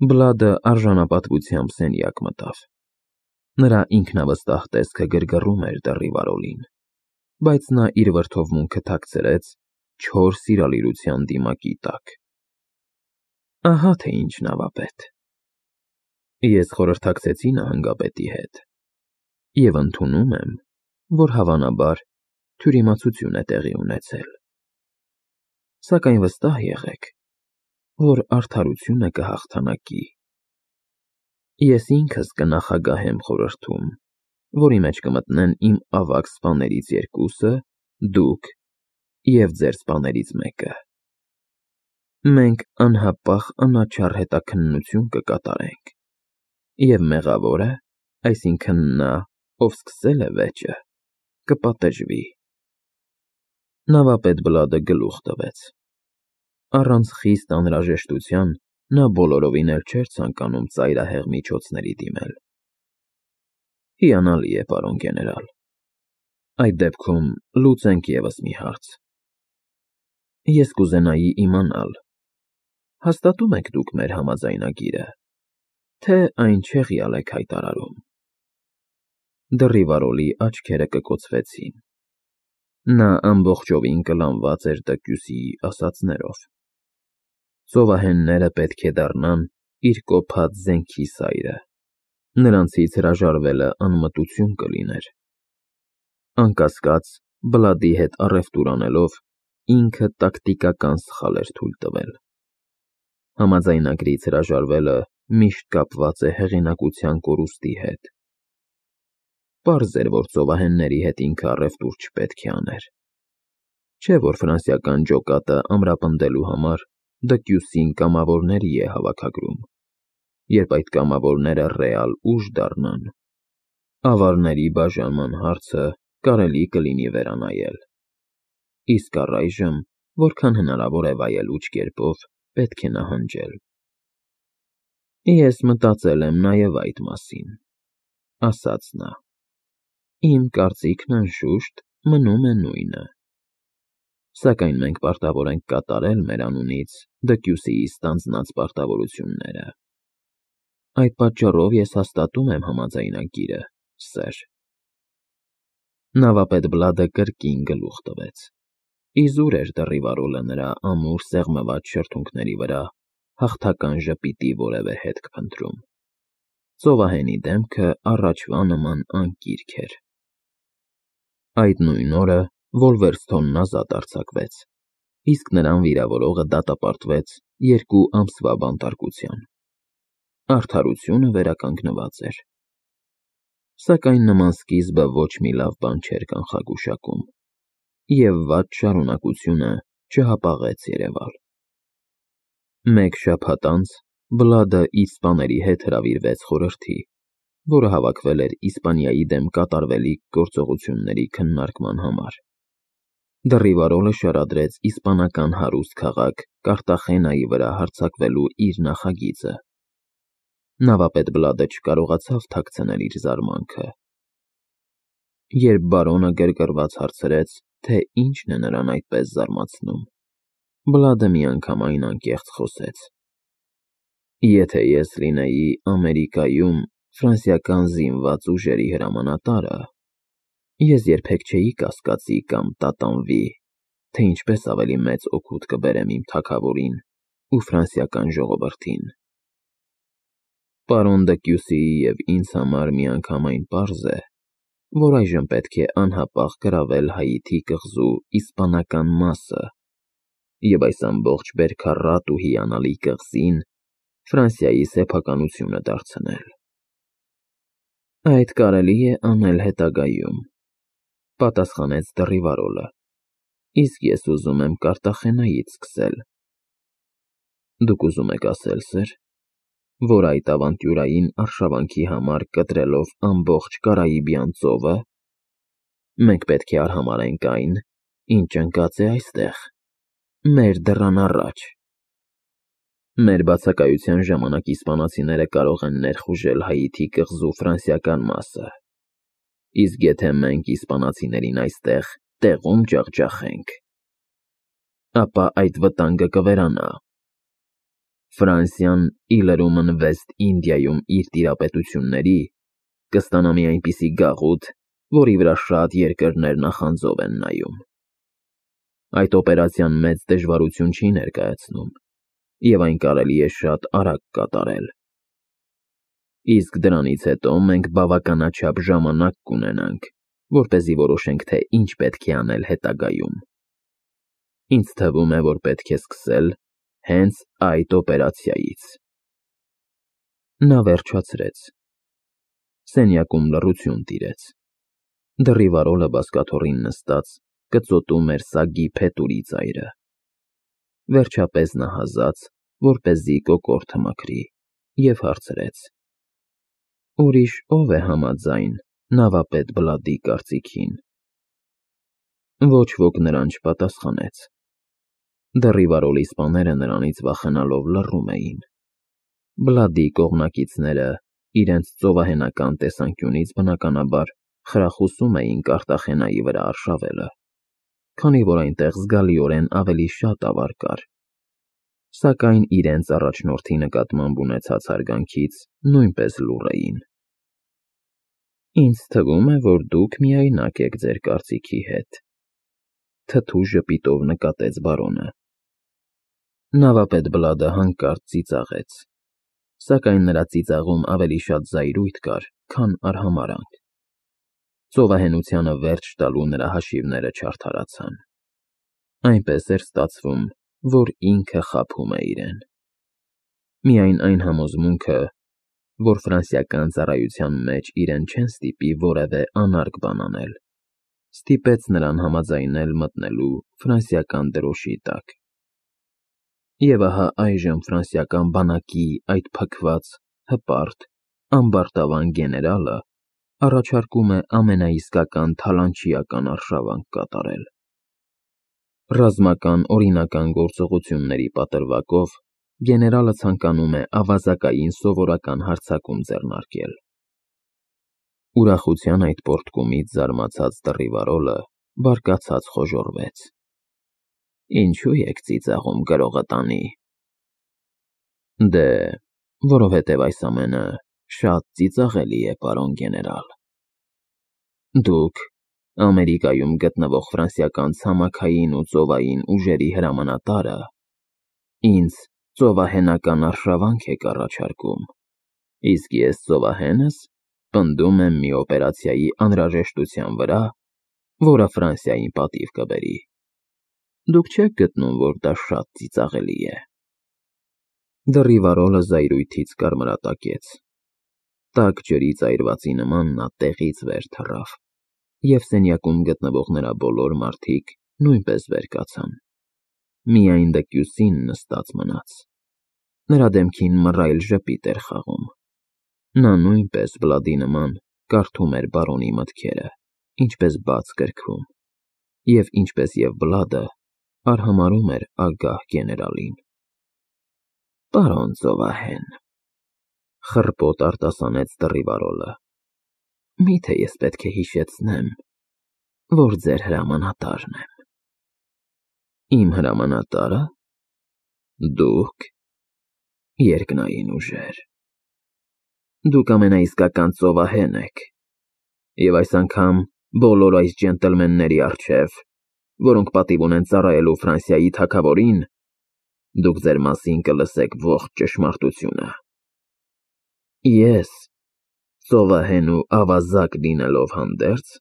Բլադը արժանապատվությամբ սենյակ մտավ։ Նրա ինքնավստահ տեսքը գրգռում էր Դեռիվարոլին, բայց նա իր վրդովմունքը թաքցրեց չոր սիրալիրության դիմակի տակ։ Ահա թե ինչ նավապետ։ Ես խորհրդակցեցի նահանգապետի հետ և ընդունում եմ, որ հավանաբար թյուրիմացություն է տեղի ունեցել։ Սակայն վստահ եղեք, որ արդարությունը կհաղթանակի։ Ես ինքս կնախագահեմ խորհրդում, որի մեջ կմտնեն իմ ավագ սպաներից երկուսը, դուք և ձեր սպաներից մեկը։ Մենք անհապաղ անաչառ հետաքննություն կկատարենք, և մեղավորը, այսինքն նա, ով սկսել է վեճը, կպատժվի։ Նավապետ Բլադը գլուխ տվեց։ Առանց խիստ անհրաժեշտության նա բոլորովին էլ չէր ցանկանում ծայրահեղ միջոցների դիմել։ Հիանալի է, պարոն գեներալ։ Այդ դեպքում լուծենք ևս մի հարց։ Ես կուզենայի իմանալ, հաստատո՞ւմ եք դուք մեր համաձայնագիրը, թե այն չեղյալ եք հայտարարում։ Դեռիվարոլի աչքերը կկոցվեցին։ Նա ամբողջովին կլանված էր տկյուսի ասածներով։ Ծովահենները պետք է դառնան իր կոփած զենքի սայրը, նրանցից հրաժարվելը անմտություն կլիներ։ Անկասկած, Բլադի հետ առևտուր անելով, ինքը տակտիկական սխալ էր թույլ տվել։ Համաձայնագրից հրաժարվելը միշտ կապված է հեղինակության կորուստի հետ։ Պարզ էր, որ ծովահենների հետ ինքը առևտուր չպետք է աներ։ Չէ՞ որ ֆրանսիական ջոկատը ամրապնդելու համար դկյուսին կամավորների է հավաքագրում, երբ այդ կամավորները ռեալ ուժ դառնան, ավարների բաժանման հարցը կարելի կլինի վերանայել, իսկ առայժմ, որքան հնարավոր է վայելուչ կերպով, պետք է նահանջել։ Ես մտածել եմ նաև այդ մասին, ասաց նա։ Իմ կարծիքն անշուշտ մնում է նույնը։ Սակայն մենք պարտավոր ենք կատարել մեր անունից դկյուսիի ստանձնած պարտավորությունները։ Այդ պատճառով ես հաստատում եմ համաձայնագիրը, սըր։ Նավապետ Բլադը կրկին գլուխ տվեց։ Իզուր էր Դեռիվարոլը նրա ամուր սեղմված շրթունքների վրա հաղթական ժպիտի որևէ հետք փնտրում։ Ծովահենի դեմքը առաջվա նման անկիրք էր։ Այդ նույն օրը Վոլվերսթոնն ազատ արձակվեց, իսկ նրան վիրավորողը դատապարտվեց 2 ամսվա բանտարկության։ Արդարությունը վերականգնված էր։ Սակայն նման սկիզբը ոչ մի լավ բան չէր կանխագուշակում, և վատ շարունակությունը չհապաղեց երևալ։ Մեկ շաբաթ անց Բլադը իր սպաների հետ հրավիրվեց խորհրդի, որը հավաքվել էր Իսպանիայի դեմ կատարվելիք գործողությունների քննարկման համար։ Դեռիվարոլը շարադրեց իսպանական հարուստ քաղաք Կարտախենայի վրա հարձակվելու իր նախագիծը։ Նավապետ Բլադը չկարողացավ թաքցնել իր զարմանքը։ Երբ բարոնը գրգռված հարցրեց, թե ինչն է նրան այդպես զարմացնում, Բլադը միանգամայն անկեղծ խոսեց. Եթե ես լինեի Ամերիկայում ֆրանսիական զինված ուժերի հրամանատարը, ես երբեք չէի կասկածի կամ տատանվի, թե ինչպես ավելի մեծ օգուտ կբերեմ իմ թագավորին ու ֆրանսիական ժողովրդին։ Պարոն Դկյուսիի և ինձ համար միանգամայն պարզ է, որ այժմ պետք է անհապաղ գրավել Հայիթի կղզու իսպանական մասը և այս ամբողջ բերքառատ ու հիանալի կղզին Ֆրանսիայի սեփականությունը դարձնել։ Այդ կարելի է անել հետագայում, պատասխանեց Դեռիվարոլը, իսկ ես ուզում եմ Կարտախենայից սկսել։ Դուք ուզում եք ասել, սըր, որ այդ ավանտյուրային արշավանքի համար կտրելով ամբողջ Կարիբյան ծովը, մենք պետք է արհամարհենք այն, ինչ ընկած է այստեղ, մեր դռան առաջ։ Մեր բացակայության ժամանակ իսպանացիները կարող են ներխուժել Հայիթի կղզու ֆրանսիական մասը, իսկ եթե մենք իսպանացիներին այստեղ տեղում ջախջախենք, ապա այդ վտանգը կվերանա։ Ֆրանսիան ի լրումն Վեստ Ինդիայում իր տիրապետությունների կստանա մի այնպիսի գաղութ, որի վրա շատ երկրներ նախանձով են նայում։ Այդ օպերացիան մեծ դժվարություն չի ներկայացնում, և այն կարելի է շատ արագ կատարել։ Իսկ դրանից հետո մենք բավականաչափ ժամանակ կունենանք, որպեսզի որոշենք, թե ինչ պետք է անել հետագայում։ Ինձ թվում է, որ պետք է սկսել հենց այդ օպերացիայից։ Նա վերջացրեց։ Սենյակում լռություն տիրեց։ Դռիվարոլը բազկաթոռին նստած կծոտում էր սագի փետուրի ծայրը։ Վերջապես նահազաց, որպեսզի կոկորդը մաքրի, և հարցրեց. «Ուրիշ ով է համաձայն նավապետ Բլադի կարծիքին»։ Ոչ ոք նրան չպատասխանեց։ Դռիվարոլի սպաները նրանից վախենալով լռում էին։ Բլադի կողմնակիցները իրենց ծովահենական տեսանկյունից բնականաբար խրախուսում էին Կարտախենայի վրա արշավելը, քանի որ այնտեղ զգալիորեն ավելի շատ ավար կար, սակայն իրենց առաջնորդի նկատմամբ ունեցած հարգանքից նույնպես լուռ էին։ «Ինձ թվում է, որ դուք միայնակ եք ձեր կարծիքի հետ», թթու ժպիտով նկատեց բարոնը։ Նավապետ Բլադը հանկարծ ծիծաղեց, սակայն նրա ծիծաղում ավելի շատ զայրույթ կար, քան արհամարհանք։ Ծովահենությանը վերջ տալու նրա հաշիվները չարդարացան։ Այնպես էր ստացվում, որ ինքը խաբում է իրեն։ Միայն այն համոզմունքը, որ ֆրանսիական ծառայության մեջ իրեն չեն ստիպի որևէ անարգ բան անել, ստիպեց նրան համաձայնել մտնելու ֆրանսիական դրոշի տակ։ Եվ ահա այժմ ֆրանսիական բանակի այդ փքված, հպարտ, ամբարտավան գեներալը առաջարկում է ամենաիսկական թալանչիական արշավանք կատարել։ Ռազմական օրինական գործողությունների պատրվակով գեներալը ցանկանում է ավազակային սովորական հարձակում ձեռնարկել։ Ուրախության այդ պոռթկումից զարմացած դռիվարոլը բարկացած խոժոռվեց։ «Ինչու եք ծիծաղում գրողը տանի»։ Դե, որովհետև այս ամենը շատ ծիծաղելի է, պարոն գեներալ։ Դուք Ամերիկայում գտնվող ֆրանսիական ցամաքային ու ծովային ուժերի հրամանատարը ինձ ծովահենական արշավանք եք առաջարկում, իսկ ես ծովահենս պնդում եմ մի օպերացիայի անհրաժեշտության վրա, որը Ֆրանսիային պատիվ կբերի։ Դուք չեք գտնում, որ դա շատ ծիծաղելի է։ Դռիվարոլը զայրույթից կարմրատակեց։ Տաք ջրի ծայրվածի նման նա տեղից վեր թռավ, և սենյակում գտնվող նրա բոլոր մարդիկ նույնպես վեր կացան։ Միայն դկյուսին նստած մնաց։ Նրա դեմքին մռայլ ժպիտ էր խաղում։ Նա նույնպես Բլադի նման կարդում էր բարոնի մտքերը, ինչպես բաց գրքում, և ինչպես և Բլադը արհամարհում էր ագահ գեներալին։ «Պարոն ծովահեն», խռպոտ արտասանեց դռիվարոլը, «միթե ես պետք է հիշեցնեմ, որ ձեր հրամանատարն եմ»։ Իմ հրամանատարը։ Դուք երկնային ուժեր։ Դուք ամենաիսկական ծովահեն եք, և այս անգամ բոլոր այս ջենտլմենների առջև, որոնք պատիվ ունեն ծառայելու Ֆրանսիայի թագավորին, դուք ձեր մասին կլսեք ողջ ճշմարտությունը։ Ես, ծովահեն ու ավազակ լինելով հանդերձ,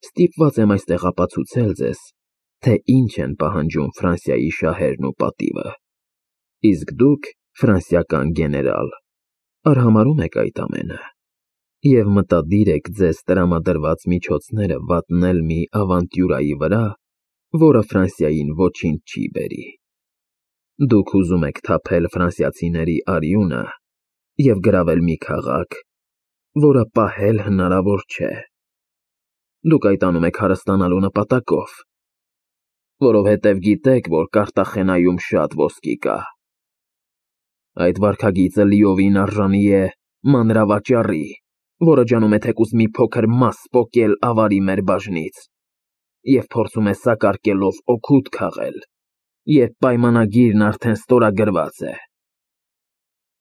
ստիպված եմ այստեղ ապացուցել ձեզ, թե ինչ են պահանջում Ֆրանսիայի շահերն ու պատիվը, իսկ դուք, ֆրանսիական գեներալ, արհամարհում եք այդ ամենը և մտադիր եք ձեզ տրամադրված միջոցները վատնել մի ավանտյուրայի վրա, որը Ֆրանսիային ոչինչ չի բերի։ Դուք ուզում եք թափել ֆրանսիացիների արյունը և գրավել մի քաղաք, որը պահել հնարավոր չէ։ Դուք այդ անում եք հարստանալու նպատակով, որովհետև գիտեք, որ Կարտախենայում շատ ոսկի կա։ Այդ վարքագիծը լիովին արժանի է մանրավաճառի, որը ջանում է թեկուզ մի փոքր մաս պոկել ավարի մեր բաժնից և փորձում է սակարկելով օգուտ քաղել, երբ պայմանագիրն արդեն ստորագրված է։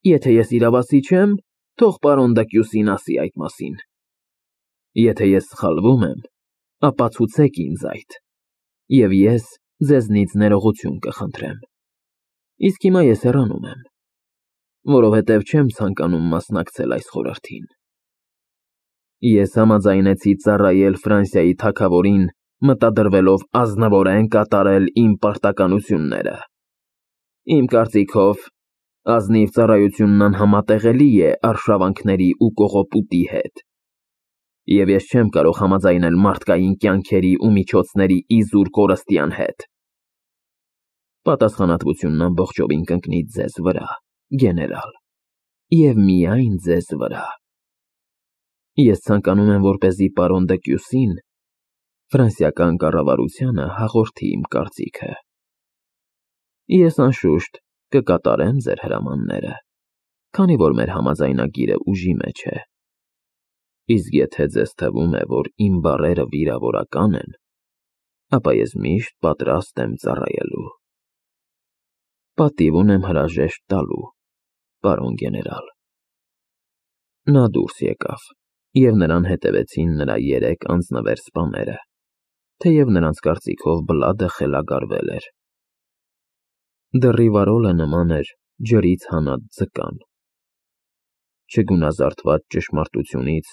Եթե ես իրավասի չեմ, թող պարոն Դեկյուսին ասի այդ մասին։ Եթե ես սխալվում եմ, ապա ցուցեք ինձ այդ, և ես ձեզնից ներողություն կխնդրեմ։ Իսկ հիմա ես հեռանում եմ, որովհետև չեմ ցանկանում մասնակցել այս խորհրդին։ Ես համաձայնեցի ծառայել Ֆրանսիայի թագավորին, մտադրվելով ազնվորեն կատարել իմ պարտականությունները։ Իմ կարծիքով, ազնիվ ծառայությունն անհամատեղելի է արշավանքների ու կողոպուտի հետ, և ես չեմ կարող համաձայնել մարդկային կյանքերի ու միջոցների իզուր կորստյան հետ։ Պատասխանատվությունն ամբողջովին կընկնի ձեզ վրա, գեներալ, և միայն ձեզ վրա։ Ես ցանկանում եմ, որպեսզի պարոն Դեկյուսին ֆրանսիական կառավարությանը հաղորդի իմ կարծիքը։ Ես անշուշտ կկատարեմ ձեր հրամանները, քանի որ մեր համաձայնագիրը ուժի մեջ է։ Իսկ եթե ձեզ թվում է, որ իմ բառերը վիրավորական են, ապա ես միշտ պատրաստ եմ ծառայելու։ Պատիվ ունեմ հրաժեշտ տալու, պարոն գեներալ։ Նա դուրս եկավ, և նրան հետևեցին նրա 3 անձնվեր սպաները, թեև նրանց կարծիքով Բլադը խելագարվել էր։ Դեռիվարոլը նման էր ջրից հանած ձկան։ Չգունազարդված ճշմարտությունից,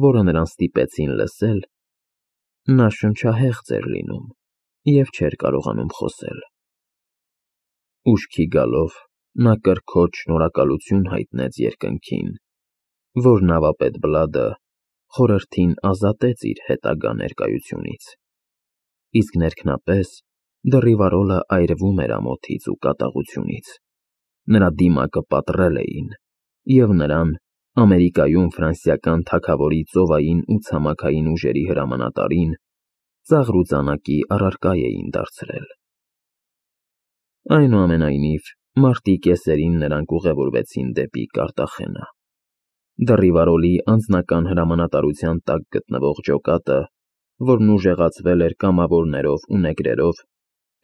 որը նրան ստիպեցին լսել, նա շնչահեղձ էր լինում և չէր կարողանում խոսել։ Ուշքի գալով, նա կրքոջ շնորհակալություն հայտնեց երկնքին, որ նավապետ Բլադը խորհրդին ազատեց իր հետագա ներկայությունից, իսկ ներքնապես դեռիվարոլը այրվում էր ամոթից ու կատաղությունից։ Նրա դիմակը պատռել էին, և նրան Ամերիկայում ֆրանսիական թագավորի ծովային ու ցամաքային ուժերի հրամանատարին ծաղր ու ծանակի առարկա էին դարձրել։ Այնուամենայնիվ, մարտի կեսերին նրանք ուղևորվեցին դեպի Կարտախենա։ Դեռիվարոլի անձնական հրամանատարության տակ գտնվող ջոկատը, որն ուժեղացվել էր կամավորներով ու նեգրերով,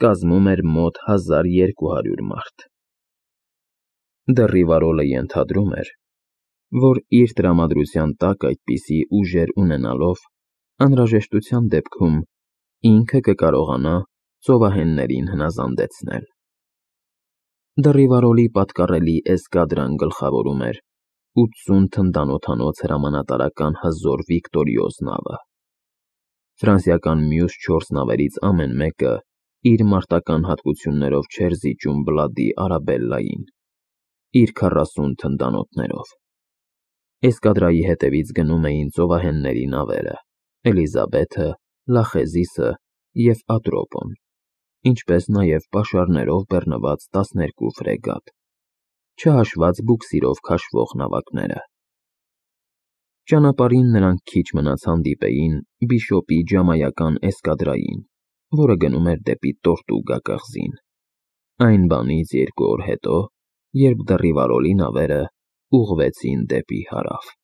կազմում էր մոտ 1200 մարդ։ Դեռիվարոլը ենթադրում էր, որ իր տրամադրության տակ այդպիսի ուժեր ունենալով, անհրաժեշտության դեպքում ինքը կկարողանա ծովահեններին հնազանդեցնել։ Դեռիվարոլի պատկառելի էսկադրան գլխավորում էր 80 թնդանոթանոց հրամանատարական հզոր վիկտորիոզ նավը։ Ֆրանսիական մյուս 4 նավերից ամեն մեկը իր մարտական հատկություններով չէր զիջում Բլադի Արաբելլային, իր 40 թնդանոթներով։ Էսկադրայի հետևից գնում էին ծովահենների նավերը՝ Էլիզաբեթը, Լախեզիսը և Ատրոպոն, ինչպես նաև պաշարներով բեռնված 12 ֆրեգատ, չհաշված բուքսիրով քաշվող նավակները։ Ճանապարհին նրանք քիչ մնաց հանդիպեին Բիշոպի ջամայական էսկադրային, որը գնում էր դեպի Տորտուգա կղզին։ Այն բանից 2 օր հետո, երբ Դեռիվարոլի նավերը ուղղվեցին դեպի հարավ։